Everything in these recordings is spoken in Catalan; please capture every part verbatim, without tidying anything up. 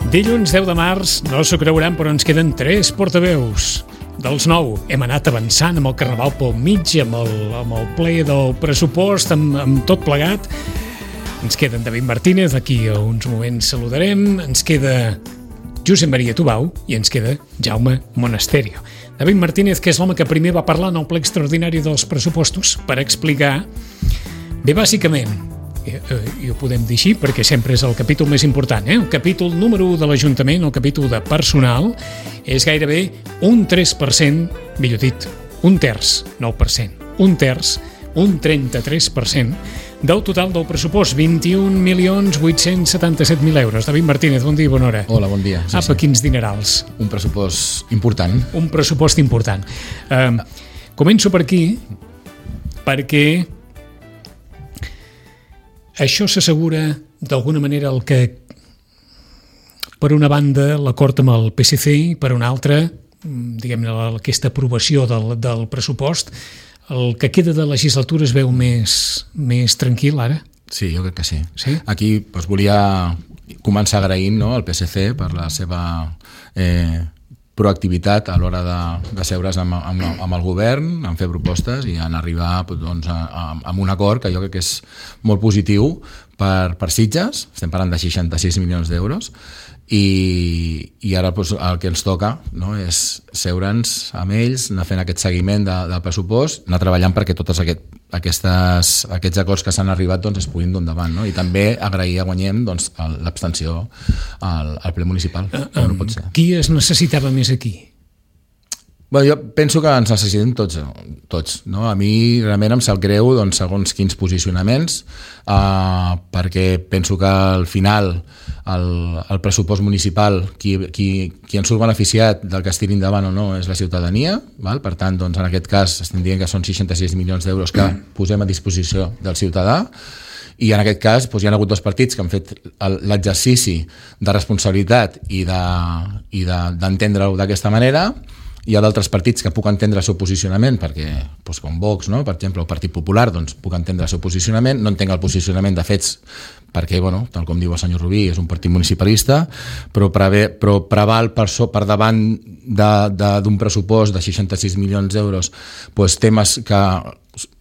Dilluns deu de març, no s'ho creuran, però ens queden tres portaveus. Dels nou hem anat avançant amb el Carnaval pel mig, amb el, amb el ple del pressupost, amb, amb tot plegat. Ens queda en David Martínez, aquí a uns moments saludarem. Ens queda Josep Maria Tubau i ens queda Jaume Monasterio. David Martínez, que és l'home que primer va parlar en el ple extraordinari dels pressupostos per explicar, bé, bàsicament, i, i ho podem dir així perquè sempre és el capítol més important, eh? El capítol número u de l'Ajuntament, el capítol de personal, és gairebé un tres per cent, millor dit, un terç, nou per cent, un terç, un trenta-tres per cent del total del pressupost, vint-i-un milions vuit-cents setanta-set mil euros. David Martínez, bon dia i bona hora. Hola, bon dia. Sí, Apa, sí. Quins dinerals. Un pressupost important. Un pressupost important. Uh, començo per aquí, perquè això s'assegura d'alguna manera el que, per una banda, l'acord amb el P S C i per una altra, diguem-ne, aquesta aprovació del, del pressupost, el que queda de legislatura es veu més, més tranquil ara? Sí, jo crec que sí. Sí? Aquí doncs, volia començar agraint, no, al P S C per la seva eh, proactivitat a l'hora de, de seure's amb, amb, amb el govern, en fer propostes i en arribar doncs, a, a, a un acord que jo crec que és molt positiu per, per Sitges. Estem parlant de seixanta-sis milions d'euros i, i ara doncs, el que ens toca, no, és seure'ns amb ells, anar fent aquest seguiment de, del pressupost, anar treballant perquè tots aquest, aquestes, aquests acords que s'han arribat doncs, es puguin dur endavant, no? I també agrair a Guanyem doncs, l'abstenció al, al ple municipal. Uh, um, no pot ser. Qui es necessitava més aquí? Bueno, jo penso que ens necessitem tots, tots, no? A mi realment em sap greu doncs, segons quins posicionaments, uh, perquè penso que al final el, el pressupost municipal, qui, qui, qui en surt beneficiat del que es tiri endavant o no és la ciutadania, val? Per tant, doncs, en aquest cas estem dient que són seixanta-sis milions d'euros que posem a disposició del ciutadà, i en aquest cas doncs, hi ha hagut dos partits que han fet l'exercici de responsabilitat i d'entendre-ho de, d'aquesta manera. Hi ha d'altres partits que puc entendre el seu posicionament, perquè, doncs, com Vox, no? Per exemple, el Partit Popular, doncs, puc entendre el seu posicionament, no entenc el posicionament de Fets, perquè, bueno, tal com diu el senyor Rubí, és un partit municipalista, però, preve, però preval per, so, per davant d'un pressupost de seixanta-sis milions d'euros doncs, temes que,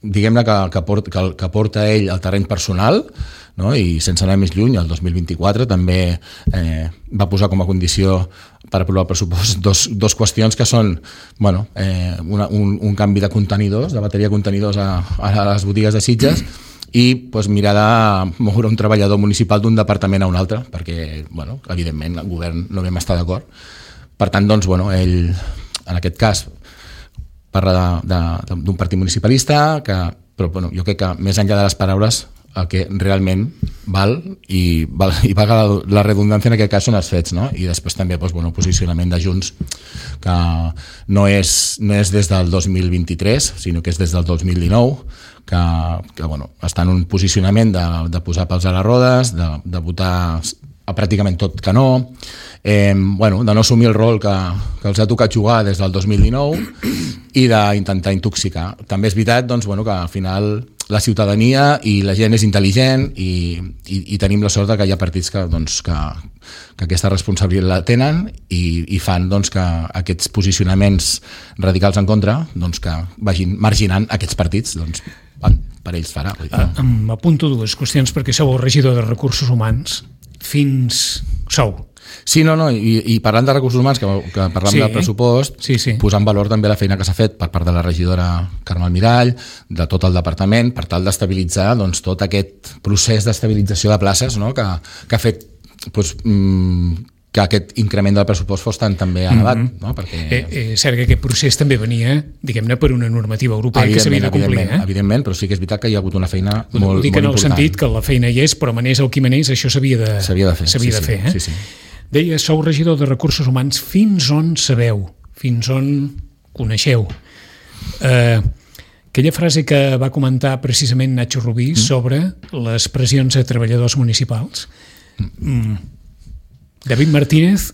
diguem-ne, que, que, porta, que, que porta ell al terreny personal, no? I sense anar més lluny, el dos mil vint-i-quatre també eh, va posar com a condició per aprovar el pressupost dos, dos qüestions que són bueno, eh, una, un, un canvi de contenidors, de bateria de contenidors a, a les botigues de Sitges i pues, mirar de moure un treballador municipal d'un departament a un altre, perquè bueno, evidentment el govern no vam estar d'acord. Per tant, doncs, bueno, ell en aquest cas parla d'un partit municipalista, que, però bueno, jo crec que més enllà de les paraules el que realment val i, val, i paga la, la redundància en aquest cas són els fets, no? I després també doncs, bueno, posicionament de Junts que no és, no és des del dos mil vint-i-tres sinó que és des del dos mil dinou que, que bueno, està en un posicionament de, de posar pals a les rodes, de, de votar a pràcticament tot que no, eh, bueno, de no assumir el rol que, que els ha tocat jugar des del dos mil dinou i d'intentar intoxicar. També és veritat doncs, bueno, que al final la ciutadania i la gent és intel·ligent i, i, i tenim la sort que hi ha partits que, doncs, que, que aquesta responsabilitat la tenen i, i fan doncs, que aquests posicionaments radicals en contra doncs, que vagin marginant aquests partits doncs, per ells farà. Em apunto dues qüestions perquè sou el regidor de Recursos Humans fins sou. Sí, no, no, i, i parlant de recursos humans, que, que parlam sí, del pressupost, sí, sí. posant en valor també la feina que s'ha fet per part de la regidora Carme Almirall, de tot el departament, per tal d'estabilitzar doncs, tot aquest procés d'estabilització de places, no? que, que ha fet doncs, que aquest increment del pressupost fos tan també elevat. Mm-hmm. No? Perquè... Eh, eh, cert que aquest procés també venia, diguem-ne, per una normativa europea que s'havia de complir. Evidentment, eh? evidentment, però sí que és veritat que hi ha hagut una feina molt, molt important. Ho dic en el sentit que la feina hi és, però manés el qui manés, això s'havia de, s'havia de fer. S'havia sí, de fer sí, eh? sí, sí. Deia, sou regidor de Recursos Humans, fins on sabeu, fins on coneixeu. Eh, aquella frase que va comentar precisament Nacho Rubí mm. sobre les pressions a treballadors municipals. Mm. David Martínez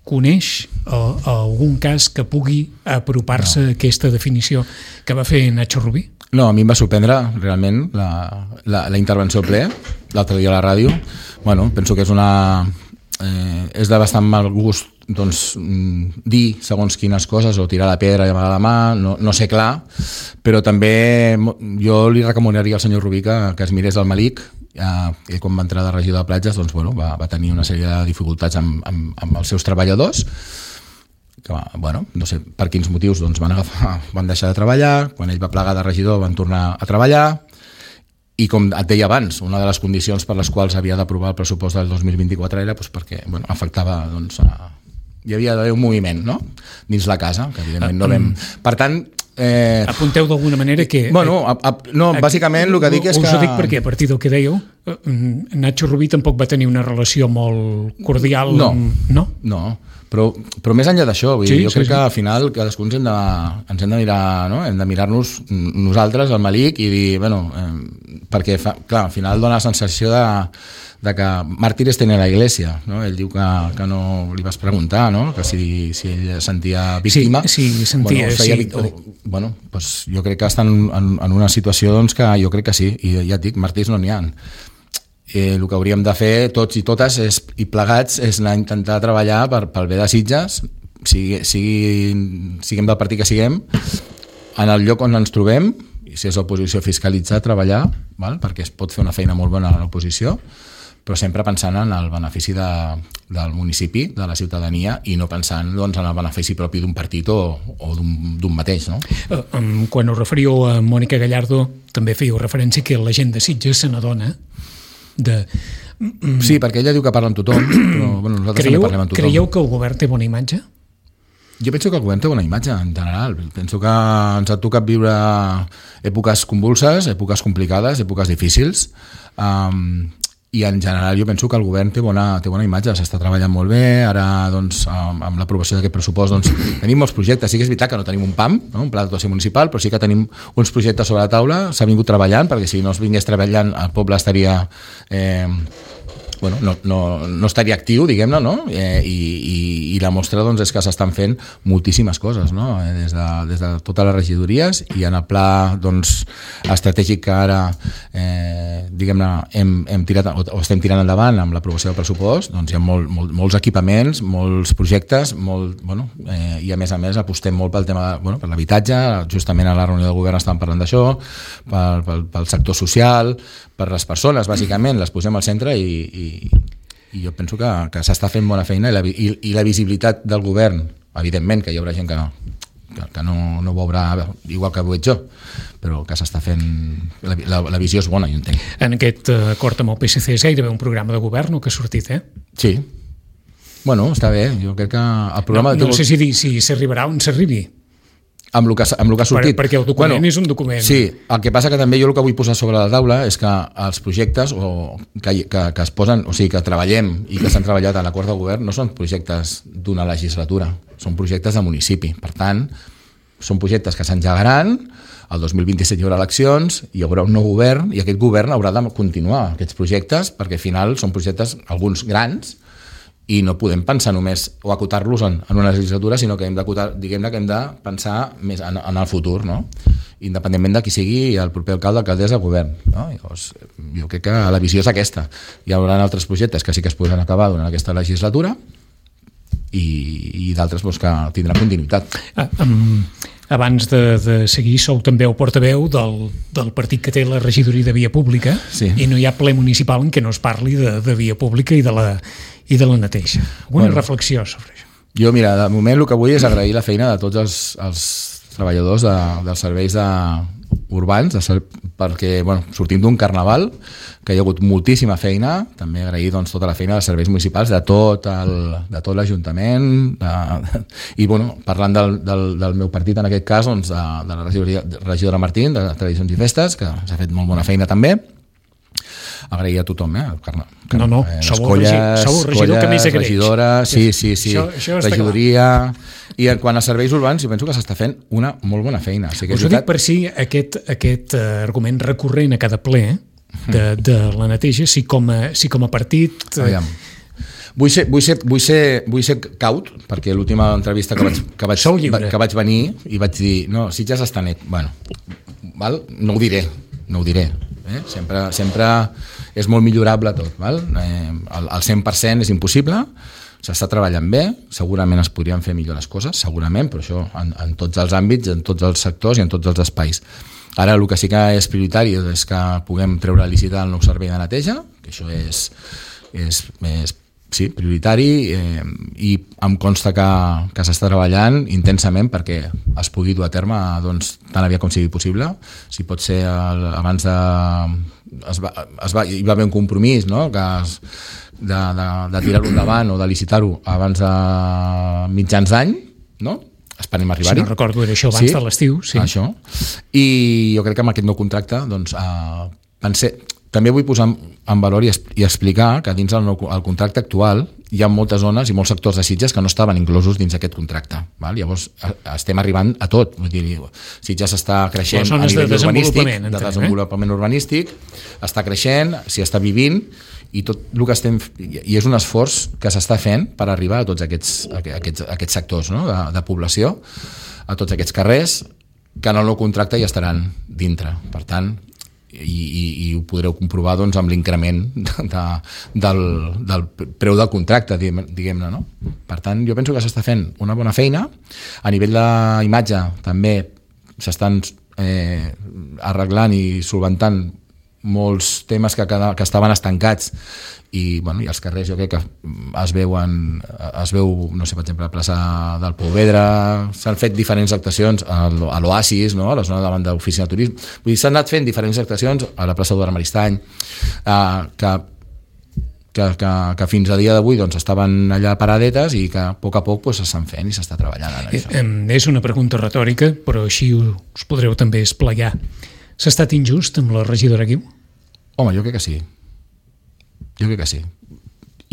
coneix a, a algun cas que pugui apropar-se no. a aquesta definició que va fer Nacho Rubí? No, a mi em va sorprendre realment la, la, la intervenció al ple, l'altre dia a la ràdio. Bueno, penso que és una... eh, és de bastant mal gust doncs, dir segons quines coses o tirar la pedra i amagar la mà, no, no sé clar, però també jo li recomanaria al senyor Rubí que, que es mirés el Malik. Eh, quan va entrar de regidor de platges doncs, bueno, va, va tenir una sèrie de dificultats amb, amb, amb els seus treballadors que, bueno, no sé per quins motius doncs, van, agafar, van deixar de treballar, quan ell va plegar de regidor van tornar a treballar. I com et deia abans, una de les condicions per les quals havia d'aprovar el pressupost del dos mil vint-i-quatre era doncs, perquè bueno, afectava... Doncs, a... Hi havia d'haver un moviment, no?, dins la casa, que evidentment no vam... Per tant... Eh... Apunteu d'alguna manera que... Bueno, a, a, no, bàsicament el que dic és que... Us ho dic perquè a partir del que dèieu, Nacho Rubí tampoc va tenir una relació molt cordial. No, amb... no? no. Però, però més enllà d'això, vull sí, dir, jo sí, crec sí. que al final cadascú ens hem de, ens hem de mirar, no? Hem de mirar-nos nosaltres, el Malik, i dir, bueno, eh, perquè fa, clar, al final dona la sensació de, de que màrtires tenen la Iglesia, no? Ell diu que, que no li vas preguntar, no? Que si, si ell sentia víctima. Sí, sí, sentia, bueno, feia, sí. o, bueno, pues jo crec que estan en, en una situació doncs, que jo crec que sí, i ja et dic, màrtirs no n'hi ha. Eh, el que hauríem de fer tots i totes és, i plegats és anar a intentar treballar per, pel bé de Sitges, sigui, sigui, siguem del partit que siguem, en el lloc on ens trobem, i si és l'oposició, fiscalitzar, treballar, val? Perquè es pot fer una feina molt bona a l'oposició, però sempre pensant en el benefici de, del municipi, de la ciutadania, i no pensant doncs, en el benefici propi d'un partit o, o d'un mateix. No? Quan us referiu a Mònica Gallardo, també fèieu referència que la gent de Sitges se n'adona de... Sí, perquè ella diu que parla amb tothom, però bueno, nosaltres creieu, també parlem amb tothom. Creieu que el govern té bona imatge? Jo penso que el govern té bona imatge, en general. Penso que ens ha tocat viure èpoques convulses, èpoques complicades, èpoques difícils, um, i en general jo penso que el govern té bona, té bona imatge, s'està treballant molt bé, ara doncs, amb, amb l'aprovació d'aquest pressupost doncs, tenim molts projectes, sí que és veritat que no tenim un P A M, no? Un pla d'actuació municipal, però sí que tenim uns projectes sobre la taula, s'ha vingut treballant, perquè si no es vingués treballant el poble estaria... Eh, bueno, no, no, no estaria actiu, diguem-ne, no? Eh, i, i, i la mostra doncs, és que s'estan fent moltíssimes coses, no? Eh, des, de, des de totes les regidories, i en el pla doncs, estratègic que ara eh, diguem-ne hem, hem tirat, o, o estem tirant endavant amb l'aprovació del pressupost, doncs hi ha molt, molt, molts equipaments, molts projectes, molt, bueno, eh, i a més a més apostem molt pel tema, bueno, per l'habitatge, justament a la reunió del govern estàvem parlant d'això, pel, pel, pel sector social, per les persones, bàsicament, les posem al centre i, i, i jo penso que, que s'està fent bona feina i la, i, i la visibilitat del govern, evidentment que hi haurà gent que, que, que no, no ho veurà igual que ho veig jo, però que s'està fent... La, la, la visió és bona, jo entenc. En aquest acord amb el P S C és gairebé un programa de govern que ha sortit, eh? Sí. Bueno, està bé. Jo crec que el programa... No, no sé si dir si s'arribarà on s'arribi. Amb el, que, amb el que ha sortit. Per, perquè el document bueno, és un document. Sí, el que passa que també jo el que vull posar sobre la taula és que els projectes o que, que, que es posen, o sigui, que treballem i que s'han treballat a l'acord de govern no són projectes d'una legislatura, són projectes de municipi. Per tant, són projectes que s'engegaran, el dos mil vint-i-set hi haurà eleccions, hi haurà un nou govern i aquest govern haurà de continuar aquests projectes perquè al final són projectes, alguns grans, i no podem pensar només o acotar-los en, en una legislatura, sinó que hem d'acotar, diguem-ne que hem de pensar més en, en el futur, no? Independentment de qui sigui el proper alcalde, alcaldessa, govern, no? Llavors, jo crec que la visió és aquesta. Hi haurà altres projectes que sí que es podran acabar durant aquesta legislatura i, i d'altres doncs, que tindran continuïtat. Ah, um, abans de, de seguir, sou també el portaveu del, del partit que té la regidoria de Via Pública, sí. I no hi ha ple municipal en què no es parli de, de Via Pública i de la, i de la neteja. Una bueno, reflexió sobre això. Jo, mira, de moment el que vull és agrair la feina de tots els, els treballadors de, dels serveis de, urbans, de ser, perquè bueno, sortim d'un carnaval que hi ha hagut moltíssima feina, també agrair doncs, tota la feina dels serveis municipals de tot el, de tot l'Ajuntament de, i bueno, parlant del, del, del meu partit en aquest cas doncs, de, de la regidoria, regidora Martín de Tradicions i Festes, que s'ha fet molt bona feina també. Agrair a tothom, eh? Carna, no, no, eh, sou el regidor colles, que més agraeix. Regidora, sí, sí, sí, això, això regidoria... I en quant a serveis urbans, jo penso que s'està fent una molt bona feina. O sigui, us ho dic per si aquest, aquest uh, argument recurrent a cada ple de, de la neteja, si com a, si com a partit... Uh... Vull ser, vull, ser, vull, ser, vull ser caut, perquè l'última entrevista que vaig, que, vaig, que vaig venir i vaig dir, no, Sitges està net. Bueno, val? No ho diré, no ho diré. Eh? Sempre, sempre és molt millorable tot. Val? Eh, el, el cent per cent és impossible, s'està treballant bé, segurament es podrien fer millor les coses, segurament, però això en, en tots els àmbits, en tots els sectors i en tots els espais. Ara el que sí que és prioritari és que puguem treure a licitar el nou servei de neteja, que això és, és, és sí, prioritari, eh, i em consta que, que s'està treballant intensament perquè es pugui dur a terme doncs, tan aviat com sigui possible. Si pot ser el, abans de... Es va, es va, hi va haver un compromís, no?, que es, de, de, de tirar-ho endavant o de licitar-ho abans de mitjans d'any, no?, esperem arribar-hi. Si no recordo, era això abans sí, de l'estiu. Sí. Això. I jo crec que amb aquest nou contracte doncs, eh, pensé, també vull posar en valor i, i explicar que dins el, nou, el contracte actual hi ha moltes zones i molts sectors de Sitges que no estaven inclosos dins aquest contracte. Val? Llavors estem arribant a tot. Vull dir, Sitges està creixent a nivell de urbanístic, de desenvolupament eh? urbanístic, està creixent, s'hi està vivint, i tot el que estem i és un esforç que s'està fent per arribar a tots aquests, aquests, aquests sectors, no?, de, de població, a tots aquests carrers que en el nou contracte ja estaran dintre. Per tant, i, i, i ho podreu comprovar doncs, amb l'increment de, del, del preu del contracte, diguem-ne, no? Per tant, jo penso que s'està fent una bona feina. A nivell d'imatge també s'estan eh, arreglant i solventant molts temes que, que estaven estancats i, bueno, i els carrers jo crec que es veuen, es veu, no sé, per exemple, a la plaça del Pouvedre, s'han fet diferents actuacions a l'Oasis, no?, a la zona davant de l'oficina de turisme. Vull dir, s'han anat fent diferents actuacions a la plaça Eduard Maristany, eh, que, que, que, que fins a dia d'avui doncs, estaven allà paradetes i que a poc a poc pues, s'estan fent i s'està treballant en això. Eh, és una pregunta retòrica, però així us podreu també esplaiar. S'ha estat injust amb la regidora Guiu? Home, jo crec que sí. Jo crec que sí.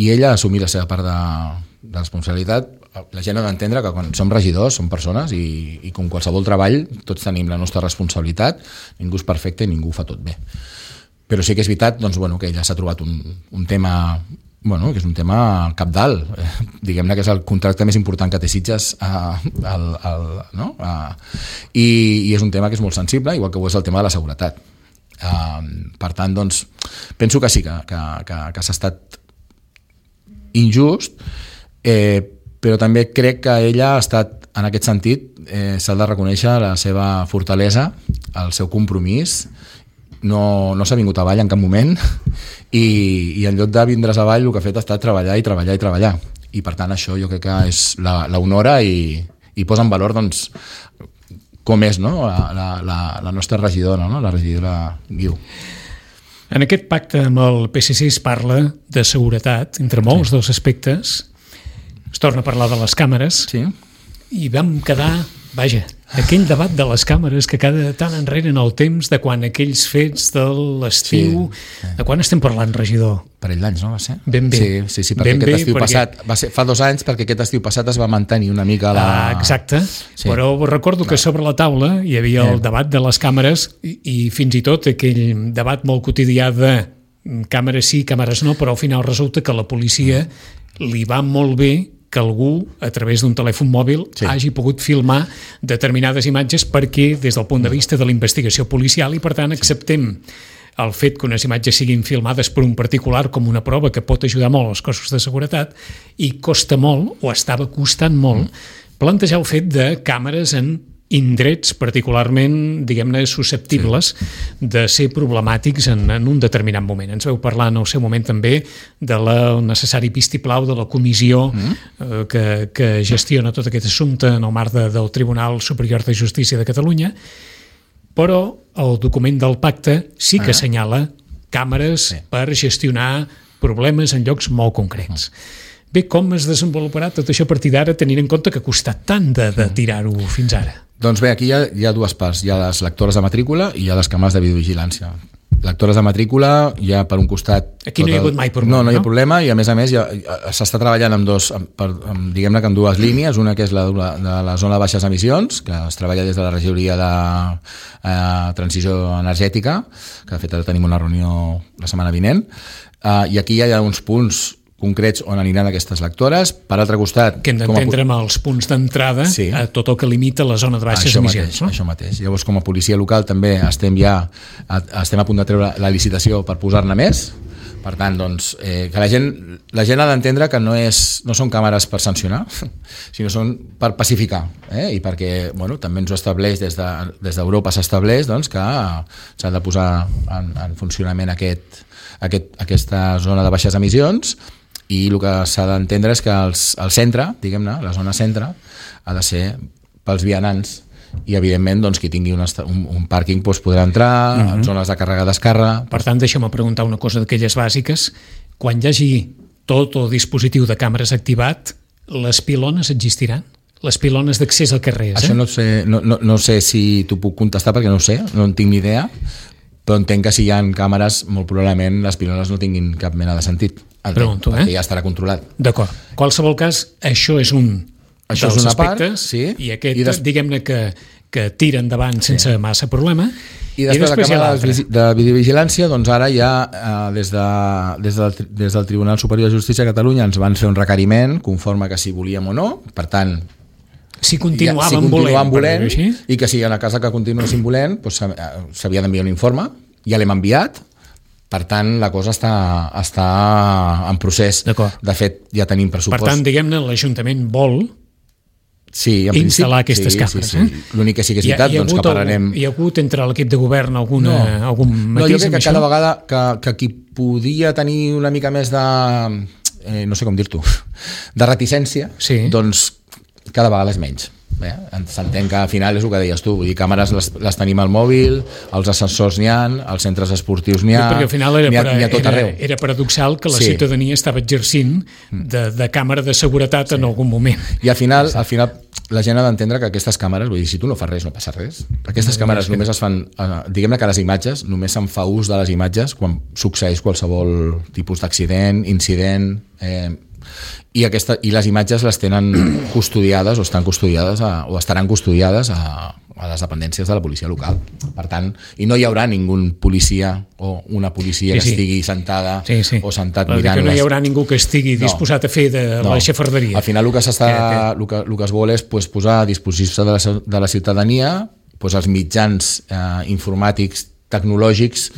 I ella ha assumit la seva part de, de responsabilitat. La gent ha d'entendre que quan som regidors, som persones i, i com qualsevol treball tots tenim la nostra responsabilitat, ningú és perfecte i ningú ho fa tot bé. Però sí que és veritat doncs, bueno, que ella s'ha trobat un, un tema... Bueno, que és un tema cabdal, eh, diguem-ne que és el contracte més important que té Sitges, eh, el, el, no? eh, i, i és un tema que és molt sensible, igual que ho és el tema de la seguretat. Eh, per tant, doncs, penso que sí, que, que, que, que s'ha estat injust, eh, però també crec que ella ha estat, en aquest sentit, eh, s'ha de reconèixer la seva fortalesa, el seu compromís. No, no s'ha vingut avall en cap moment i, i en lloc de vindre's avall el que ha fet ha estat treballar i treballar i treballar i per tant això jo crec que és la, la honora i, i posa en valor doncs, com és, no? la, la, la nostra regidora, no? La regidora Guiu. En aquest pacte amb el P S C es parla de seguretat, entre molts sí. dels aspectes. Es torna a parlar de les càmeres sí. i vam quedar, vaja, aquell debat de les càmeres que cada tant enrere en el temps de quan aquells fets de l'estiu, sí. de quan estem parlant, regidor? Parell d'anys, no va ser? Ben bé. Sí, sí, sí perquè ben aquest bé, estiu perquè... passat, va ser fa dos anys perquè aquest estiu passat es va mantenir una mica la... Ah, exacte, sí. Però recordo que sobre la taula hi havia el debat de les càmeres i, i fins i tot aquell debat molt quotidià de càmeres sí, càmeres no, però al final resulta que a la policia li va molt bé que algú, a través d'un telèfon mòbil, sí. hagi pogut filmar determinades imatges perquè, des del punt de vista de la investigació policial, i per tant acceptem el fet que unes imatges siguin filmades per un particular com una prova que pot ajudar molt als cossos de seguretat, i costa molt, o estava costant molt, plantejar el fet de càmeres en indrets particularment, diguem-ne, susceptibles sí. de ser problemàtics en, en un determinat moment. Ens veu parlar en el seu moment també de la necessari vistiplau de la comissió mm. eh, que, que gestiona tot aquest assumpte en el marc de, del Tribunal Superior de Justícia de Catalunya, però el document del pacte sí que ah. assenyala càmeres sí. per gestionar problemes en llocs molt concrets. Mm. Bé, com es desenvoluparà tot això a partir d'ara, tenint en compte que ha costat tant de, de tirar-ho fins ara? Doncs bé, aquí hi ha, hi ha dues parts. Hi ha les lectores de matrícula i hi ha les càmeres de videovigilància. Lectores de matrícula, hi ha per un costat... Aquí no hi ha hagut mai problema, no? No, no hi ha no? problema i a més a més s'està treballant amb dos, per, amb, diguem-ne que amb dues línies, una que és la de la zona de baixes emissions, que es treballa des de la regidoria de eh, transició energètica, que de fet ara tenim una reunió la setmana vinent, eh, i aquí hi ha uns punts concrets on aniran aquestes lectores. Per altre costat... Que hem d'entendre amb els punts d'entrada sí. a tot el que limita la zona de baixes això emissions. Mateix, no? Això mateix. Llavors, com a policia local també estem ja a, estem a punt de treure la licitació per posar-ne més. Per tant, doncs, eh, que la gent, la gent ha d'entendre que no, és, no són càmeres per sancionar, sinó són per pacificar. Eh? I perquè bueno, també ens ho estableix, des de, des d'Europa s'estableix doncs, que s'ha de posar en, en funcionament aquest, aquest, aquesta zona de baixes emissions, i el que s'ha d'entendre és que els, el centre, diguem-ne, la zona centre, ha de ser pels vianants, i evidentment doncs, qui tingui un, un, un pàrquing doncs, podrà entrar, uh-huh. en zones de càrrega-descàrrega. Per tant, deixa'm preguntar una cosa d'aquelles bàsiques. Quan hi hagi tot el dispositiu de càmeres activat, les pilones existiran? Les pilones d'accés al carrer, eh? Això no sé, no, no, no sé si t'ho puc contestar perquè no ho sé, no en tinc ni idea, però entenc que si hi ha càmeres, molt probablement les pilones no tinguin cap mena de sentit. Entenc, Pregunto, eh? Perquè ja estarà controlat. D'acord. En qualsevol cas, això és un això dels és una aspectes, part, sí. I aquest, I des... diguem-ne que, que tira endavant sense sí. massa problema. I després, I després la càmera de videovigilància, doncs ara ja eh, des, de, des, del, des del Tribunal Superior de Justícia de Catalunya ens van fer un requeriment conforme que si volíem o no, per tant si continuàvem, ja, si continuàvem volent, volent i que si en el cas que continuéssim volent doncs, s'havia d'enviar un informe, ja l'hem enviat. Per tant, la cosa està, està en procés. De fet, ja tenim pressupost. Per tant, diguem-ne, l'Ajuntament vol sí, en instal·lar principi, aquestes sí, càmeres. Sí, sí. Eh? L'únic que sí que és veritat, hi ha, hi ha doncs que parlarem... Hi ha hagut entre l'equip de govern alguna, no. algun matís? No, jo crec que això? cada vegada que, que qui podia tenir una mica més de... Eh, no sé com dir-t'ho, de reticència, sí. doncs cada vegada és menys. Eh? S'entén que al final és el que deies tu, vull dir, càmeres les, les tenim al mòbil, els ascensors n'hi ha, als centres esportius n'hi ha, perquè al final era, n'hi ha, per, n'hi ha tot era, arreu. Era paradoxal que la sí. ciutadania estava exercint de, de càmera de seguretat sí. en algun moment. I al final, al final la gent ha d'entendre que aquestes càmeres, vull dir, si tu no fas res no passa res. Aquestes no, càmeres només es fan, diguem-ne que les imatges, només se'n fa ús de les imatges quan succeeix qualsevol tipus d'accident, incident... Eh, I, aquesta, i les imatges les tenen custodiades o estan custodiades a, o estaran custodiades a, a les dependències de la policia local. Per tant, i no hi haurà ningú policia o una policia sí, que sí. estigui sentada sí, sí. o sentat Però mirant... Que no les... hi haurà ningú que estigui disposat no. a fer de no. la xafarderia. Al final el que, s'està, que, que... El que, el que es vol és pues, posar a disposició de la, de la ciutadania pues, els mitjans eh, informàtics, tecnològics,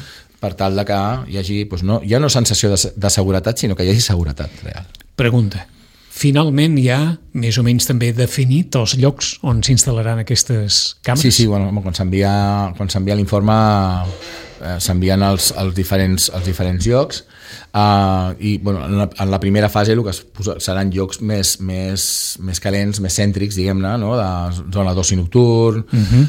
per tal de que hi hagi pues, no, ja no sensació de, de seguretat, sinó que hi hagi seguretat real. Pregunta. Finalment hi ha més o menys també definit els llocs on s'instal·laran aquestes càmeres? Sí, sí, bueno, quan s'envia quan s'envia l'informe eh, s'envien als, als, diferents, als diferents llocs eh, i bueno, en, la, en la primera fase el que es posa, seran llocs més, més, més calents, més cèntrics, diguem-ne, no? De zona d'oci nocturn uh-huh.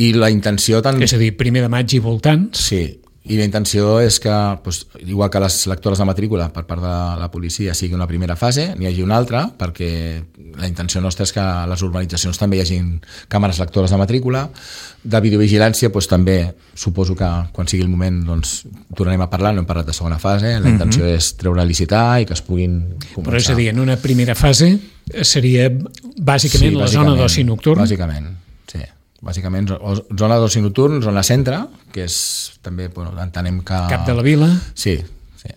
i la intenció... Tant... És a dir, primer de maig i voltants? Sí, i la intenció és que, doncs, igual que les lectores de matrícula per part de la policia sigui una primera fase, n'hi hagi una altra, perquè la intenció nostra és que a les urbanitzacions també hi hagin càmeres lectores de matrícula. De videovigilància, doncs, també suposo que quan sigui el moment doncs, tornarem a parlar, no hem parlat de segona fase, la intenció mm-hmm. és treure a licitar i que es puguin començar. Però és a dir, en una primera fase seria bàsicament, sí, bàsicament la zona d'oci nocturn? Bàsicament, sí. Bàsicament, zona d'oci nocturn, zona centre, que és també, bueno, entenem que... Cap de la vila? Sí, sí.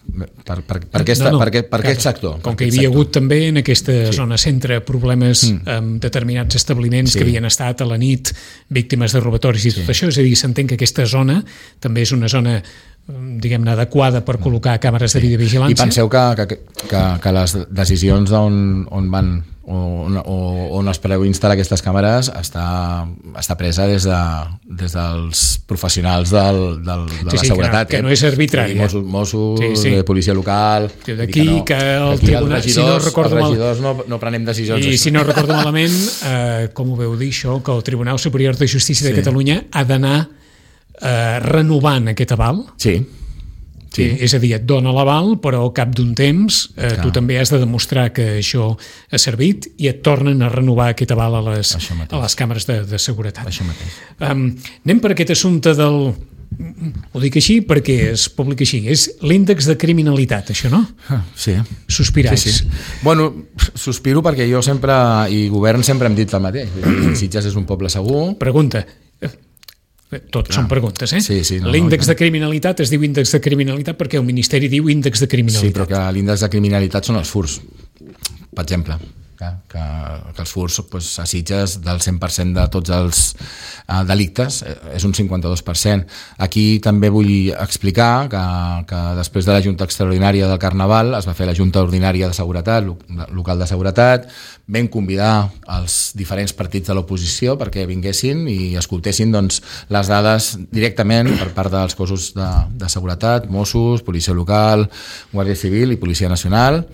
Per, per, per, aquesta, no, no, per, per aquest sector. Com que hi havia sector. hagut també en aquesta sí. zona centre problemes mm. amb determinats establiments sí. que havien estat a la nit víctimes de robatoris i tot sí. això, és a dir, s'entén que aquesta zona també és una zona diguem-ne adequada per col·locar càmeres sí. de videovigilància. I penseu que, que, que, que les decisions on, on van o on, on es preveu instal·lar aquestes càmeres està, està presa des, de, des dels professionals del, del, de sí, la sí, seguretat. Que no, que no és arbitrari. Mossos, Mossos sí, sí. policia local... D'aquí que, no, que el aquí tribunal... Els regidors, si no recordo els regidors no, no prenem decisions. I això. Si no recordo malament, eh, com ho veu dir això, que el Tribunal Superior de Justícia de sí. Catalunya ha d'anar eh, renovant aquest aval? Sí. Sí. És a dir, et dona l'aval, però al cap d'un temps eh, tu també has de demostrar que això ha servit i et tornen a renovar aquest aval a les, a les càmeres de, de seguretat. Això mateix. Um, anem per aquest assumpte del... Ho dic així perquè es publica així. És l'índex de criminalitat, això, no? Sí. Sospiràs. Sí, sí. Bueno, sospiro perquè jo sempre, i govern sempre hem dit el mateix. Sitges és un poble segur. Pregunta. Tot Clar. Són preguntes, eh? Sí, sí, no, l'índex no, de criminalitat es diu índex de criminalitat perquè el Ministeri diu índex de criminalitat. Sí, però que l'índex de criminalitat són els furs, per exemple. Que, que, que els furs pues, a Sitges del cent per cent de tots els uh, delictes eh, és un cinquanta-dos per cent. Aquí també vull explicar que, que després de la Junta Extraordinària del Carnaval es va fer la Junta Ordinària de Seguretat, local de seguretat, vam convidar els diferents partits de l'oposició perquè vinguessin i escoltessin doncs, les dades directament per part dels cossos de, de seguretat, Mossos, Policia Local, Guàrdia Civil i Policia Nacional.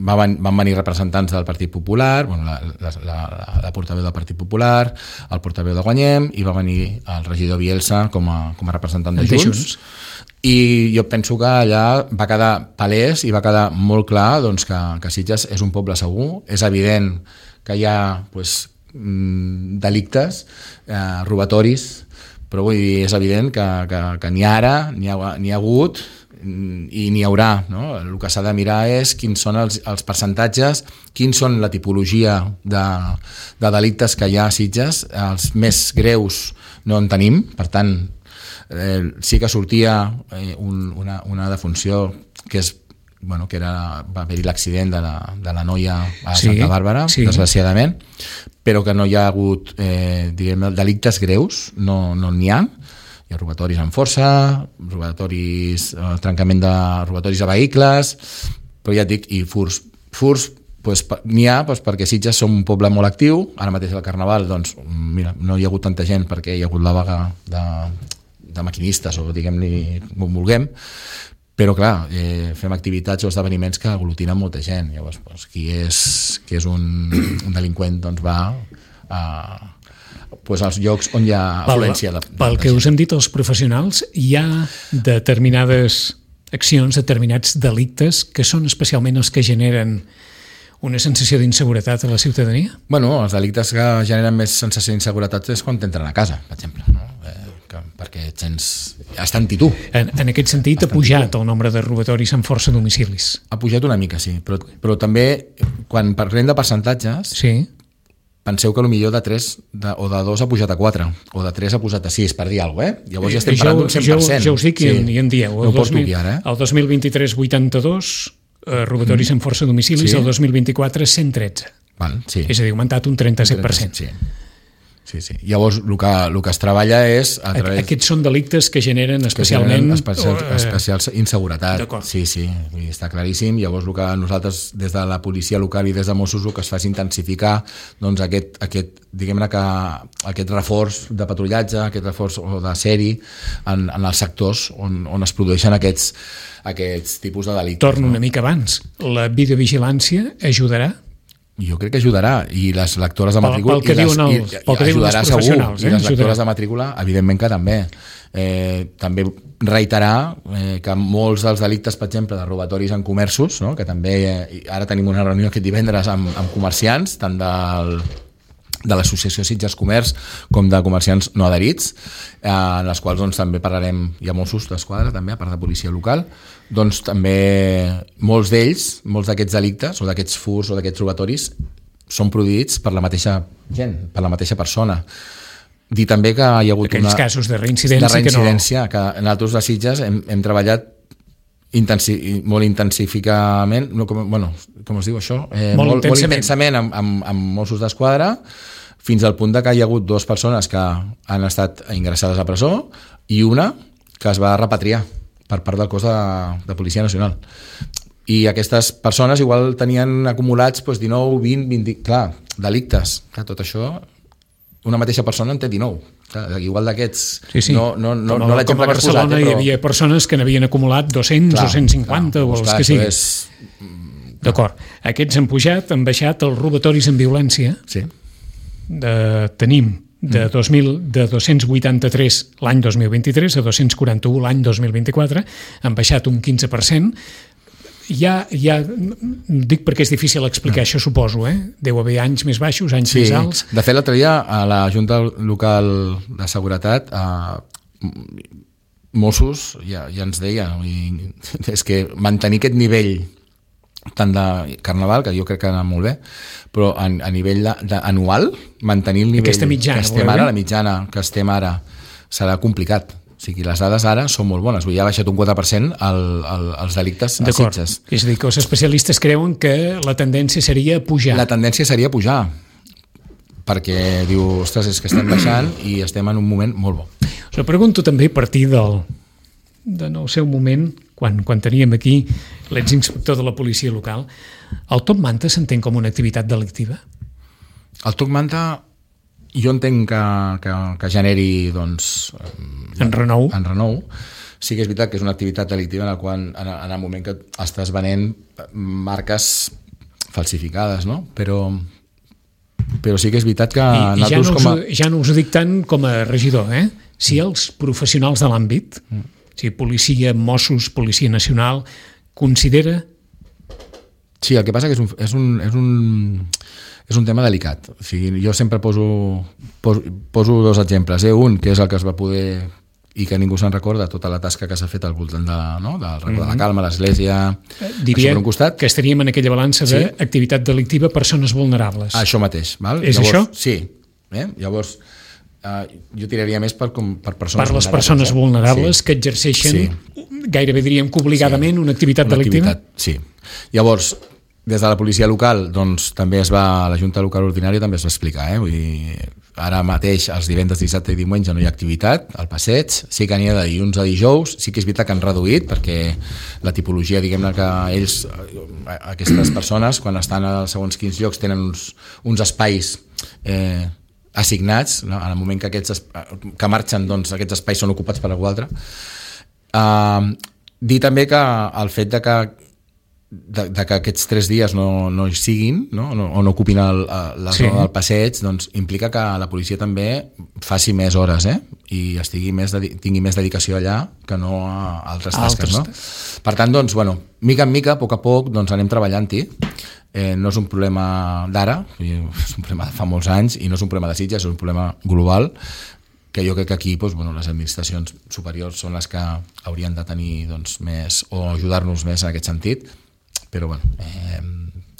Van venir representants del Partit Popular, bueno, la, la, la, la portaveu del Partit Popular, el portaveu de Guanyem, i va venir el regidor Bielsa com a, com a representant de Junts. Junts. I jo penso que allà va quedar palès i va quedar molt clar doncs, que, que Sitges és un poble segur. És evident que hi ha pues, delictes, eh, robatoris, però vull dir, és evident que, que, que ni ara n'hi ha, n'hi ha hagut i n'hi haurà, no? El que s'ha de mirar és quins són els, els percentatges, quins són la tipologia de, de delictes que hi ha a Sitges. Els més greus no en tenim, per tant eh, sí que sortia eh, un, una, una defunció que és bueno, que era, va haver-hi l'accident de, la, de la noia a sí, Santa Bàrbara, sí. Desgraciadament, però que no hi ha hagut eh, diguem, delictes greus, no n'hi no ha. Hi ha robatoris amb força, robatoris, eh, trencament de robatoris a vehicles, però ja et dic, i furs. Furs pues, n'hi ha pues, perquè Sitges som un poble molt actiu, ara mateix al Carnaval doncs, mira, no hi ha hagut tanta gent perquè hi ha hagut la vaga de, de maquinistes o diguem-li com vulguem, però clar, eh, fem activitats o esdeveniments que aglutinen molta gent. Llavors, pues, qui és, qui és un, un delinqüent doncs va a pues als llocs on hi ha afluència de, de pel que us hem dit els professionals, hi ha determinades accions, determinats delictes que són especialment els que generen una sensació d'inseguretat a la ciutadania? Bueno, els delictes que generen més sensació d'inseguretat és quan t'entren a casa, per exemple, no? Eh, que, perquè et sents... Està en tu. En, en aquest sentit, ha pujat el nombre de robatoris amb força a domicilis? Ha pujat una mica, sí, però, però també quan parlem de percentatges... Sí. Penseu que potser de tres de, o de dos ha pujat a quatre, o de tres ha pujat a sis, per dir alguna cosa, eh? Llavors ja estem parlant d'un cent per cent. Jo, jo us dic sí. i en dieu. No ho porto aquí ara, eh? El dos mil vint-i-tres, vuitanta-dos, eh, robatoris mm. amb força a domicilis, sí. El dos mil vint-i-quatre, cent tretze. Val, sí. És a dir, ha augmentat un trenta-set per cent. Sí. Sí, sí. Llavors, el que, el que es treballa és... A través... Aquests són delictes que generen especialment... Que generen especial, especial inseguretat. Sí, sí, està claríssim. Llavors, el que nosaltres, des de la policia local i des de Mossos, el que es fa és intensificar doncs, aquest, aquest, diguem-ne que aquest reforç de patrullatge, aquest reforç de seri en, en els sectors on, on es produeixen aquests, aquests tipus de delictes. Torno no? una mica abans. La videovigilància ajudarà? Jo crec que ajudarà, i les lectores de matrícula pel, pel que diuen els, pel que diuen els professionals, segur, eh? I les lectores de matrícula evidentment que també eh, també reiterar eh, que molts dels delictes, per exemple, de robatoris en comerços, no? Que també eh, ara tenim una reunió aquest divendres amb, amb comerciants, tant del de l'Associació Sitges Comerç com de comerciants no adherits, eh, en les quals doncs, també parlarem, hi ha Mossos d'Esquadra també, a part de policia local, doncs també molts d'ells, molts d'aquests delictes o d'aquests furs o d'aquests robatoris són produïts per la mateixa gent, per la mateixa persona. Dir també que hi ha hagut aquells una... casos de reincidència, de reincidència que, no... que nosaltres a Sitges hem, hem treballat Intensi molt intensificament, no, com, bueno, com es diu això? Eh, molt, molt intensament, molt intensament amb, amb, amb Mossos d'Esquadra, fins al punt de que hi ha hagut dues persones que han estat ingressades a presó i una que es va repatriar per part del cos de, de Policia Nacional. I aquestes persones igual tenien acumulats doncs, dinou, vint, vint... Clar, delictes. Clar, tot això, una mateixa persona en té dinou. Clar, igual d'aquests, sí, sí. no, no, no, com a, no l'exemple que has posat. Com a Barcelona eh, però... hi havia persones que n'havien acumulat dos-cents clar, o cent cinquanta clar, o els clar, que siguin. És... D'acord. Aquests han pujat, han baixat els robatoris en violència. Sí. De, tenim de, dos mil, de dos-cents vuitanta-tres l'any dos mil vint-i-tres a dos-cents quaranta-u l'any dos mil vint-i-quatre, han baixat un quinze per cent. Ja, ja dic perquè és difícil explicar no. això, suposo, eh? Deu haver anys més baixos, anys sí. més alts. De fet, l'altre dia a la Junta Local de Seguretat eh, Mossos ja, ja ens deia i, és que mantenir aquest nivell tant de Carnaval, que jo crec que ha anat molt bé, però a, a nivell de, de, anual, mantenir el nivell mitjana, que estem ara, la mitjana que estem ara serà complicat. O sigui, les dades ara són molt bones. Ja ha baixat un quatre per cent el, el, els delictes a Sitges. És a dir, que els especialistes creuen que la tendència seria pujar. La tendència seria pujar, perquè diu, ostres, és que estem baixant i estem en un moment molt bo. Us ho pregunto també a partir del, de no sé, un moment, quan, quan teníem aquí l'exinspector de la policia local, el top manta s'entén com una activitat delictiva? El top manta jo entenc que, que, que generi doncs, en renou. En renou. Sí que és veritat que és una activitat delictiva en la qual en, en el moment que estàs venent marques falsificades, no? Però, però sí que és veritat que... I, i ja, no us, com a... ja no us ho dic tant com a regidor, eh? Si els professionals de l'àmbit, mm. si policia, Mossos, Policia Nacional, considera... Sí, el que passa que és un... És un, és un... és un tema delicat. O sigui, jo sempre poso, poso, poso dos exemples. Eh? Un, que és el que es va poder, i que ningú se'n recorda, tota la tasca que s'ha fet al voltant de, no? del Racó mm-hmm. de la Calma, l'església... Diria un costat. Que estaríem en aquella balança sí. d'activitat delictiva persones vulnerables. Això mateix. Val? És Llavors, això? Sí. Eh? Llavors, eh, jo tiraria més per, com, per persones per les vulnerables. persones eh? vulnerables sí. que exerceixen, sí. gairebé diríem que obligadament, sí. una activitat una delictiva? Activitat, sí. Llavors, des de la policia local, doncs, també es va, la Junta Local Ordinària també es va explicar, eh? Vull dir, ara mateix, els divendres, dissabte i diumenge no hi ha activitat al passeig, sí que n'hi ha de dilluns a dijous, sí que és veritat que han reduït, perquè la tipologia, diguem-ne que ells, aquestes persones, quan estan a segons quins llocs, tenen uns, uns espais eh, assignats, no? En el moment que aquests que marxen, doncs, aquests espais són ocupats per algú altre. Uh, dir també que el fet de que De, de que aquests tres dies no, no hi siguin, no? No, o no ocupin el, la sí. zona del passeig, doncs implica que la policia també faci més hores, eh? I estigui més de, tingui més dedicació allà que no a altres tasques, no? Per tant, doncs, bueno, mica en mica, a poc a poc, doncs anem treballant-hi. Eh, no és un problema d'ara, és un problema de fa molts anys, i no és un problema de Sitges, és un problema global, que jo crec que aquí doncs, bueno, les administracions superiors són les que haurien de tenir doncs, més, o ajudar-nos més en aquest sentit. Però bueno, eh,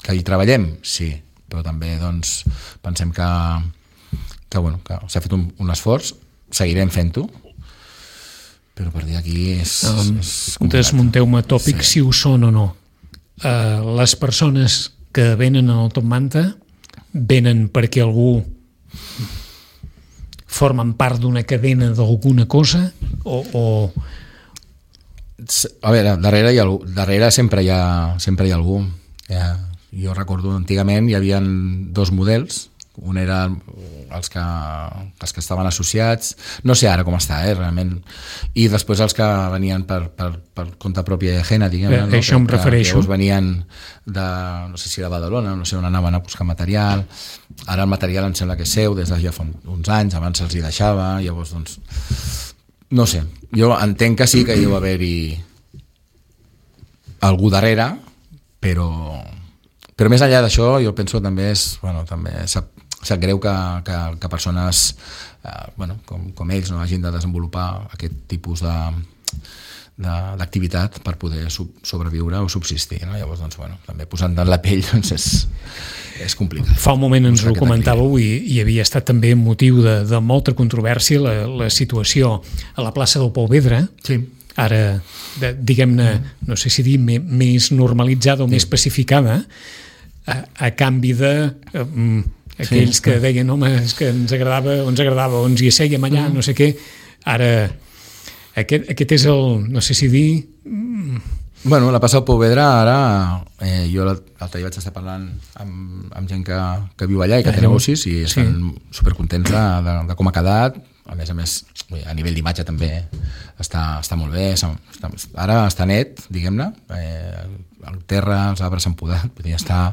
que hi treballem, sí, però també doncs, pensem que, que, bueno, que s'ha fet un, un esforç, seguirem fent-ho, però per dir aquí és, um, és complicat. Desmunteu-me tòpics sí. si ho són o no. Uh, les persones que venen al Top Manta venen perquè algú formen part d'una cadena d'alguna cosa o... o... A veure, darrere, hi ha, darrere sempre, hi ha, sempre hi ha algú. Ja, jo recordo, antigament hi havia dos models. Un era els que, els que estaven associats, no sé ara com està, eh, realment, i després els que venien per, per, per compte pròpia ajena, diguem, eh, no? Això em que, refereixo. Que venien de, no sé si de Badalona, no sé on anaven a buscar material. Ara el material em sembla que és seu des de ja fa uns anys, abans se'ls hi deixava, llavors doncs no sé, jo entenc que sí que hi deu haver-hi algú darrere, però però més enllà d'això jo penso que també és, bueno, també sap, sap greu que, que, que persones eh, bueno, com, com ells no hagin de desenvolupar aquest tipus de d'activitat per poder sub, sobreviure o subsistir, no? Llavors, doncs, bueno, també posant en la pell doncs és, és complicat. Fa un moment ens ho comentàveu i, i havia estat també motiu de, de molta controvèrsia la, la situació a la plaça del Pou Vedra, sí. Ara, de, diguem-ne, no sé si dir me, més normalitzada o sí. més pacificada, a, a canvi de um, aquells sí. que deien, home, és que ens agradava, ens agradava, o ens hi assèiem allà, mm. no sé què, ara... Aquest, aquest és el, no sé si dir... Bueno, la plaça del Pou Vedra ara, eh, jo l'altre dia vaig estar parlant amb, amb gent que, que viu allà i que té negocis i estan sí. supercontents de, de, de com ha quedat. A més a més, a nivell d'imatge també està, està molt bé. Està, ara està net, diguem-ne. Eh, el terra, els arbres s'han podat, vull dir, està...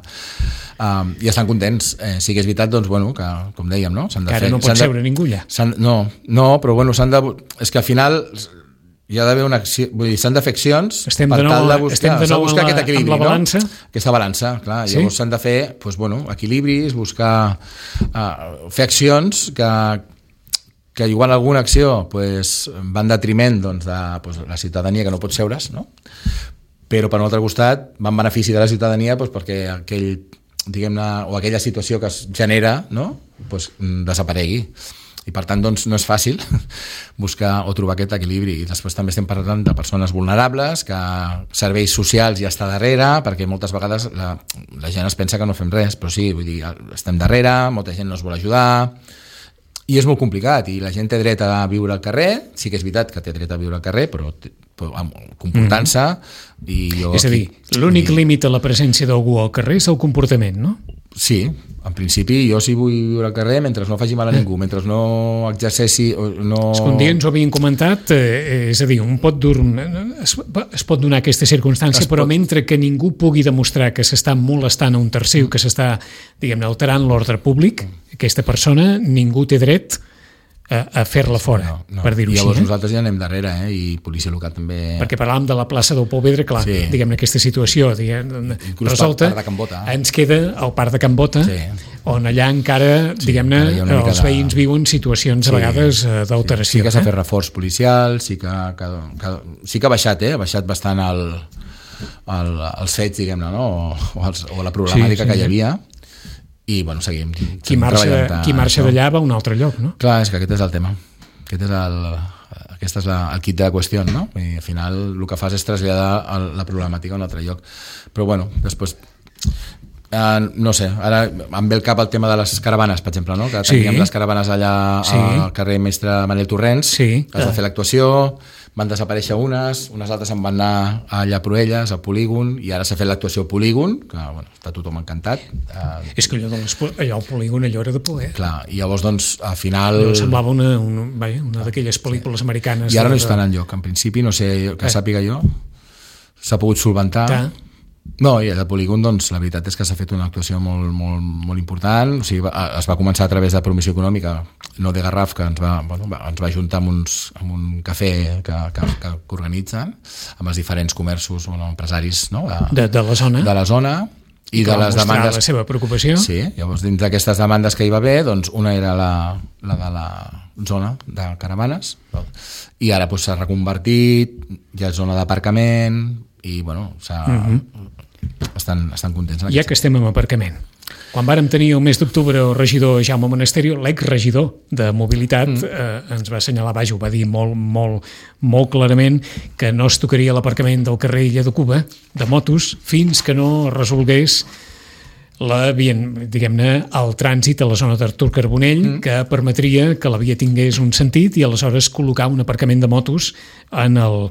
Um, i estan contents. Eh, sí que és veritat, doncs, bueno, que, com dèiem, no? S'han de fer, no pot seure ningú allà. No, no, però bueno, s'han de... És que al final hi ha d'haver una acció... Vull dir, s'han de fer accions estem per de nou, tal de buscar, de nou buscar la, aquest equilibri, la balança. No? Aquesta balança, clar. Sí? Llavors s'han de fer, doncs, bueno, equilibris, buscar... Uh, fer accions que, que igual alguna acció pues, va en detriment doncs, de pues, la ciutadania que no pot seure's, no? Però per un altre costat va en benefici de la ciutadania pues, perquè aquell, diguem-ne, o aquella situació que es genera, no? Pues, desaparegui. i per tant doncs, no és fàcil buscar o trobar aquest equilibri. I després també estem parlant de persones vulnerables, que serveis socials ja està darrere, perquè moltes vegades la, la gent es pensa que no fem res, però sí, vull dir, estem darrere, molta gent no es vol ajudar, i és molt complicat, i la gent té dret a viure al carrer, sí que és veritat que té dret a viure al carrer, però, però comportant-se... Mm. I jo és a dir, l'únic límit a la presència d'algú al carrer és el comportament, no? Sí, en principi jo si vull viure al carrer mentre no faci mal a ningú, mentre no exerceixi... No... És que un dia ens ho havien comentat, eh, és a dir, un pot dur, es, es pot donar aquesta circumstància, es però pot... mentre que ningú pugui demostrar que s'està molestant a un tercer, que s'està, diguem-ne, alterant l'ordre públic, aquesta persona, ningú té dret a, a fer-la fora, no, no. per dir-ho així. Llavors eh? nosaltres ja anem darrere, eh? I policia local també... Perquè parlàvem de la plaça del Pou Vedre, clar, sí. diguem-ne, aquesta situació diguem, resolta, Bota, eh? ens queda el parc de Can Bota, sí. on allà encara, sí, diguem-ne, els veïns de... viuen situacions sí, a vegades d'alteració. Sí, sí que s'ha eh? fet reforç policial, sí que, que, que, sí que ha baixat, eh? ha baixat bastant el, el, els fets, diguem-ne, no? o, o, els, o la problemàtica sí, sí, que hi havia, i bueno, seguim, seguim qui marxa, qui marxa d'allà va a un altre lloc, no? Clar, és que aquest és el tema, aquest és el, aquest és la, el kit de la qüestió, no? I al final el que fas és traslladar el, la problemàtica a un altre lloc, però bueno, després eh, no sé, ara em ve el cap el tema de les caravanes, per exemple, no? Que teníem sí. les caravanes allà sí. al carrer Mestre Manel Torrents, sí. es va fer l'actuació, van desaparèixer unes, unes altres se'n van anar allà a Proelles, al polígon, i ara s'ha fet l'actuació al polígon, que bueno, està tothom encantat. Eh, és que allò, de les, allò al polígon allò era de poder. Clar, i llavors doncs al final... Allò semblava una, una, una d'aquelles pel·lícules sí. americanes. I ara de... no estan enlloc, en principi, no sé, que eh. sàpiga jo, s'ha pogut solventar. Clar. No, i al polígon, doncs, la veritat és que s'ha fet una actuació molt, molt, molt important. O sigui, es va començar a través de promoció econòmica, no de Garraf, que ens va, bueno, ens va ajuntar amb, uns, amb un cafè que, que, que organitzen, amb els diferents comerços o bueno, empresaris no? de, de, de la zona. De la zona i, I de les demandes... la seva preocupació. Sí, llavors dins d'aquestes demandes que hi va haver, doncs una era la, la de la zona de caravanes, i ara doncs, s'ha reconvertit, ja és zona d'aparcament, i bueno, s'ha... Uh-huh. Estan, estan contents. Ja que estem en aparcament, quan vàrem tenir el mes d'octubre el regidor Jaume Monasterio, l'exregidor de mobilitat, mm. eh, ens va assenyalar, vaja, ho va dir molt, molt, molt clarament, que no es tocaria l'aparcament del carrer Illa de Cuba de motos fins que no resolgués la via, diguem-ne, el trànsit a la zona d'Artur Carbonell, mm. que permetria que la via tingués un sentit i aleshores col·locar un aparcament de motos en el,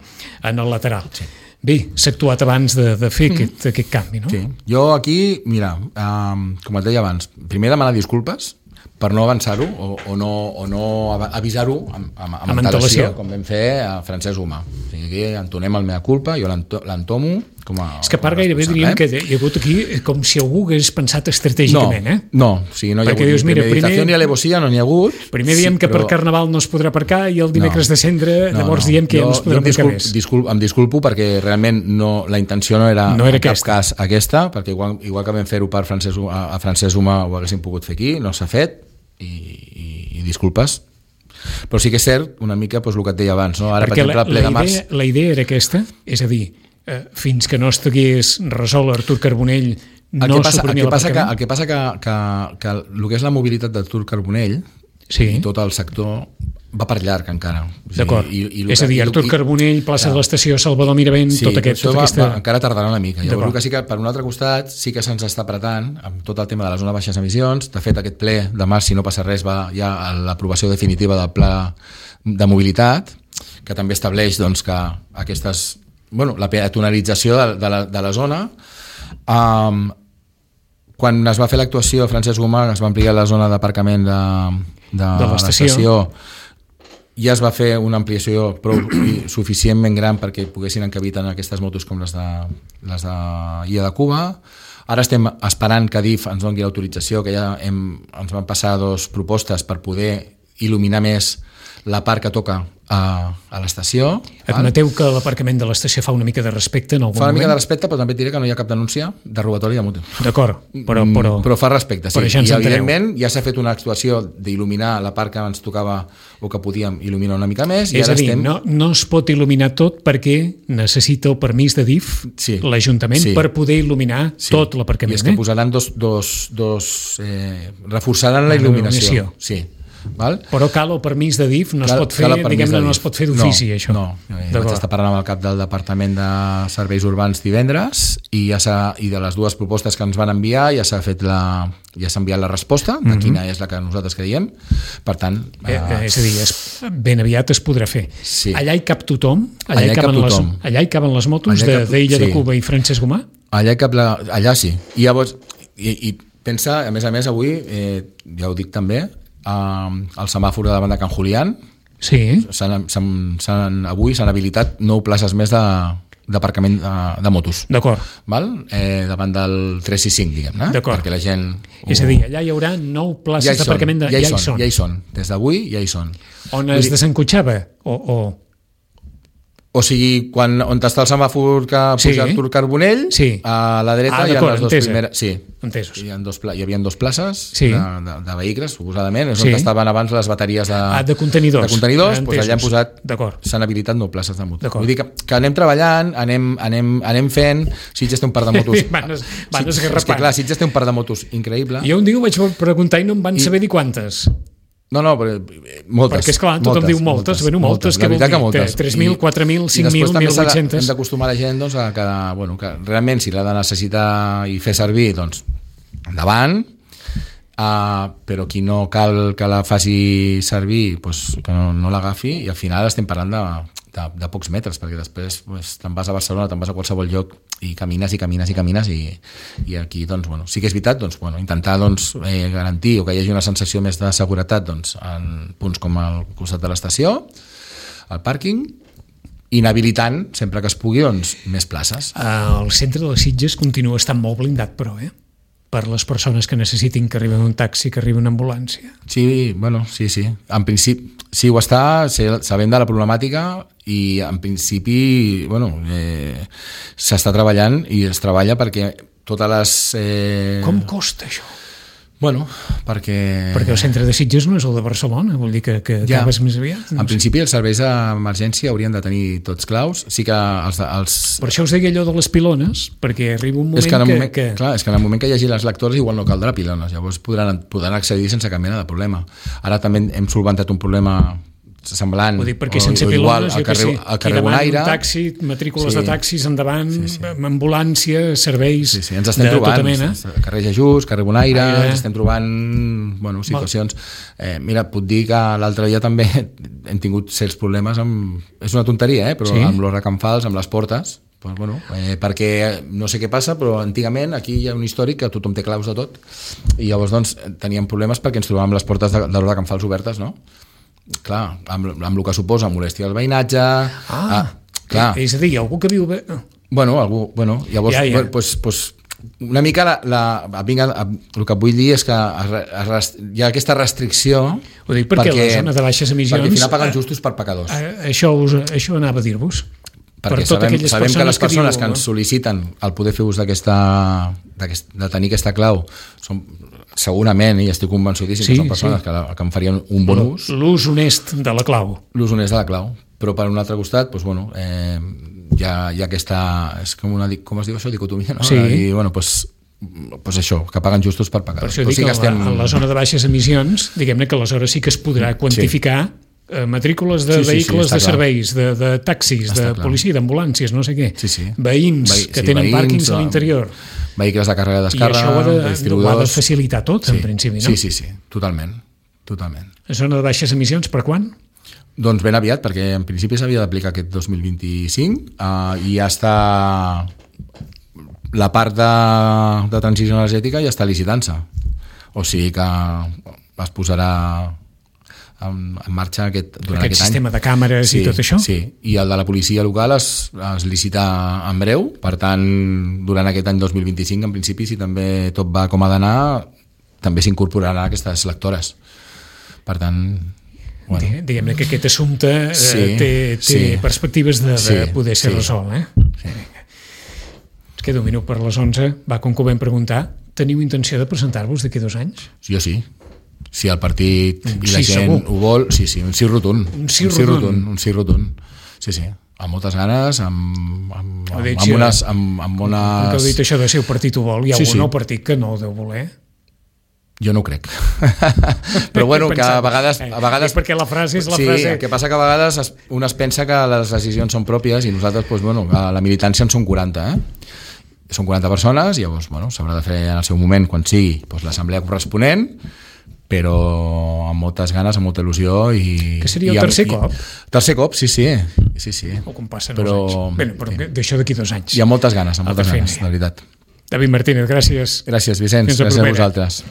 en el lateral. Sí. Bé, s'ha actuat abans de, de fer mm. aquest, aquest canvi, no? Sí. Jo aquí, mira, um, com et deia abans, primer demanar disculpes per no avançar-ho o, o no, o no avisar-ho amb, amb, amb, amb antelació, com vam fer a Francesc Humà. O sigui, aquí entonem el mea culpa, jo l'entomo com a... És que a part gairebé diríem que hi ha hagut aquí com si algú hagués pensat estratègicament, no, eh? No, o sigui, no hi ha perquè hagut dius, mira, premeditació primer, ni alevosía, no n'hi ha hagut. Primer diem sí, que per però... Carnaval no es podrà aparcar i el dimecres no, de Cendre no, llavors no. diem que jo, ja no es podrà aparcar disculp, més. Disculp, em disculpo perquè realment no, la intenció no era, no era en cap aquesta. cas aquesta, perquè igual, igual que vam fer-ho per Francesc, a, a Francesc Humà ho haguéssim pogut fer aquí, no s'ha fet i, i, i disculpes. Però sí que és cert una mica doncs, el que et deia abans, no? Ara, perquè per exemple, la, ple la, de març... idea, la idea era aquesta, és a dir, eh, fins que no estigués resolt Artur Carbonell no el que passa, suprimia el que passa que, l'aparcament. el que passa que, que, que el que és la mobilitat d'Artur Carbonell sí. i tot el sector va per llarg encara. O sigui, d'acord, i, i és a dir, Artur i, Carbonell, plaça ja. de l'Estació, Salvador Miravent, sí, tot aquest... Tota va, aquesta... va, encara tardarà una mica. Llavors, que sí que per un altre costat sí que se'ns està apretant amb tot el tema de la zona de baixes emissions. De fet, aquest ple de març, si no passa res, va ja a l'aprovació definitiva del pla de mobilitat, que també estableix doncs, que aquestes... Bueno, la peatonalització de, de, la, de la zona. Um, quan es va fer l'actuació a Francesc Humà, es va ampliar la zona d'aparcament de, de, de l'estació, ja es va fer una ampliació prou suficientment gran perquè poguessin encabir tant aquestes motos com les de, les de Illa de Cuba. Ara estem esperant que DIF ens doni l'autorització, que ja hem, ens van passar dos propostes per poder il·luminar més la part que toca a, a l'estació. Admeteu que l'aparcament de l'estació fa una mica de respecte en algun moment? Fa una moment? mica de respecte, però també et diré que no hi ha cap denúncia de robatori de moto. D'acord, però, però... Però fa respecte, sí. Però ja I evidentment ja s'ha fet una actuació d'il·luminar la part que ens tocava o que podíem il·luminar una mica més. I és ara a dir, estem... no, no es pot il·luminar tot perquè necessita el permís de DIF, sí. l'Ajuntament, sí. per poder il·luminar sí. tot l'aparcament. I és que posaran dos... dos, dos eh, reforçaran la, la il·luminació. Sí. Val? Però cal el permís de D I F, no cal, es pot fer, diguem-ne, no es pot fer d'ofici, no, això. No, eh, vaig estar parlant amb el cap del Departament de Serveis Urbans divendres i, ja i de les dues propostes que ens van enviar ja s'ha fet la, ja s'ha enviat la resposta de mm-hmm. quina és la que nosaltres creiem. Per tant... Eh, eh, és a dir, es, ben aviat es podrà fer. Sí. Allà hi cap tothom? Allà, allà, hi cap tothom. Les, allà hi caben les motos de, cap, d'Illa sí. de Cuba i Francesc Gomà? Allà, cap la, allà sí. I llavors, i, i pensa, a més a més, avui, eh, ja ho dic també, eh, el semàfor de davant de Can Julián, sí. s'han, s'han, s'han, avui s'han habilitat nou places més de, d'aparcament de, de motos. D'acord. Val? Eh, davant del tres sis cinc, diguem-ne. D'acord. Perquè la gent... És a dir, allà hi haurà nou places ja d'aparcament. De... Ja, hi ja són, hi són. Ja hi són. Des d'avui ja hi són. On es dir... desencotxava? O... o... O sigui, quan, on està el semàfor que puja sí. Artur Carbonell, sí. a la dreta ah, hi ha les dues primeres... Sí, entesos. Hi, ha dos, hi havia dues places sí. de, de, de vehicles, suposadament, és sí. on estaven abans les bateries de, ah, de contenidors. De contenidors, doncs allà hem posat... S'han habilitat nou places de moto. Vull dir que, que anem treballant, anem, anem, anem fent... Sitges té un par de motos... van es, van sí, és que clar, Sitges té un par de motos increïble. Jo un dia ho vaig preguntar i no em van I... saber dir quantes. No, no, però moltes. Perquè, esclar, tothom moltes, diu moltes, moltes, bueno, moltes, moltes què vol dir? Que moltes. tres mil, quatre mil, cinc mil, mil vuit-cents... Hem d'acostumar la gent doncs, a que, bueno, que realment si l'ha de necessitar i fer servir, doncs endavant, uh, però qui no cal que la faci servir, doncs, que no, no l'agafi, i al final estem parlant de, de, de pocs metres, perquè després pues, te'n vas a Barcelona, te'n vas a qualsevol lloc i camines i camines i camines i, i aquí doncs, bueno, sí que és veritat doncs, bueno, intentar doncs, eh, garantir o que hi hagi una sensació més de seguretat doncs, en punts com al costat de l'estació, al pàrquing, inhabilitant, sempre que es pugui, doncs, més places. El centre de les Sitges continua estant molt blindat, però, eh? Per les persones que necessitin que arribi un taxi, que arribi una ambulància. Sí, bueno, sí, sí. En principi, sí ho està, sabem de la problemàtica i en principi, bueno, eh, s'està treballant i es treballa perquè totes les... Eh... Com costa això? Bueno, perquè... Perquè el centre de Sitges no és el de Barcelona, vol dir que, que ja. acabes més aviat. No en sé. Principi els serveis d'emergència haurien de tenir tots claus, sí que els... els... Per això us deia allò de les pilones, perquè arriba un moment, és que, que, moment que... Clar, és que en el moment que hi hagi les lectores igual no caldrà pilones, llavors podran, podran accedir sense cap mena de problema. Ara també hem solventat un problema semblant, ho dic perquè sense o, o igual, pilones, al carrer, sí, al carrer Bonaire, un taxi, matrícules sí. de taxis endavant, sí, sí. ambulància, serveis sí, sí. Ens estem de trobant, tota mena. Carrer Jesús, carrer Bonaire, Aire. Ens estem trobant bueno, situacions. Eh, mira, puc dir que l'altre dia també hem tingut certs problemes amb... És una tonteria, eh? Però sí? Amb los recanfals, amb les portes, pues, bueno, eh, perquè no sé què passa, però antigament aquí hi ha un històric que tothom té claus de tot i llavors doncs, teníem problemes perquè ens trobàvem les portes de, de los recanfals obertes, no? Clar, amb, amb el que suposa molèstia al veïnatge... Ah, ah clar. És a dir, algú que viu... Bé... Bueno, algú, bueno, llavors, ja, ja. Pues, pues, una mica la, la, vinga, el que vull dir és que es, es, hi ha aquesta restricció... Ho dic perquè, perquè la zona de baixes emissions... Perquè al final paguen justos per pecadors. Això, us, això anava a dir-vos. Perquè per sabem, sabem que les persones que, diu, que ens sol·liciten el poder fer ús d'aquesta... de tenir aquesta clau són... Segurament, i estic convençudíssim sí, que són persones sí. que, la, que en farien un bon ús. L'ús honest de la clau. L'ús honest de la clau. Però per un altre costat, doncs, bueno, eh, hi, ha, hi ha aquesta... És com una... Com es diu això? Dicotomia, no? Sí. I, bueno, doncs, pues això, que paguen justos per pagar. Per això dic sí que, que estem... en la zona de baixes emissions, diguem-ne que aleshores sí que es podrà quantificar sí. matrícules de sí, sí, vehicles sí, de clar. Serveis, de, de taxis, està de clar. Policia, d'ambulàncies, no sé què. Sí, sí. Veïns Veí, que sí, tenen veïns, pàrquings a l'interior. Vehicles de càrrega i descàrrega, I això ho ha de, distribuïdors... ho ha de facilitar tot, sí, en principi, no? Sí, sí, sí, totalment. totalment. La zona de baixes emissions, per quan? Doncs ben aviat, perquè en principi s'havia d'aplicar aquest dos mil vint-i-cinc uh, i ja està... La part de, de transició energètica ja està licitant-se. O sigui que es posarà en, en marxa aquest, durant aquest, aquest sistema any. De càmeres sí, i tot això? Sí, i el de la policia local es, es licita en breu, per tant, durant aquest any dos mil vint-i-cinc, en principi, si també tot va com ha d'anar, també s'incorporaran aquestes lectores. Per tant... Bueno. Diguem-ne que aquest assumpte sí, eh, té, té sí. perspectives de, de sí, poder ser sí. resolt. Eh? Sí. Es queda un minut per les onze, va, com que ho vam preguntar, teniu intenció de presentar-vos d'aquí dos anys? Jo sí. Si el partit i la sí, gent segur. ho vol, sí, sí, un sí rotund. Un sí un sí rotund. rotund. Un sí rotund. Sí, sí, amb moltes ganes, amb, amb, amb, dit, amb, unes, amb, amb unes... Que heu dit això de si el partit ho vol, hi ha sí, algun sí. nou partit que no ho deu voler. Jo no ho crec. Però bueno, que a vegades... A vegades... perquè la frase és la sí, frase... Sí, el que passa que a vegades es, un es pensa que les decisions són pròpies i nosaltres, doncs, bueno, a la militància en són quaranta, eh? Són quaranta persones i llavors, bueno, s'haurà de fer en el seu moment, quan sigui, doncs, l'assemblea corresponent, però amb moltes ganes, amb molta il·lusió i... Que seria el i, tercer i, cop? Tercer cop, sí, sí. sí, sí. O com passen però, els anys. Bé, però sí. D'això d'aquí dos anys. I amb moltes ganes, amb moltes ganes, de veritat. David Martínez, gràcies. Gràcies, Vicenç. Gràcies a vosaltres.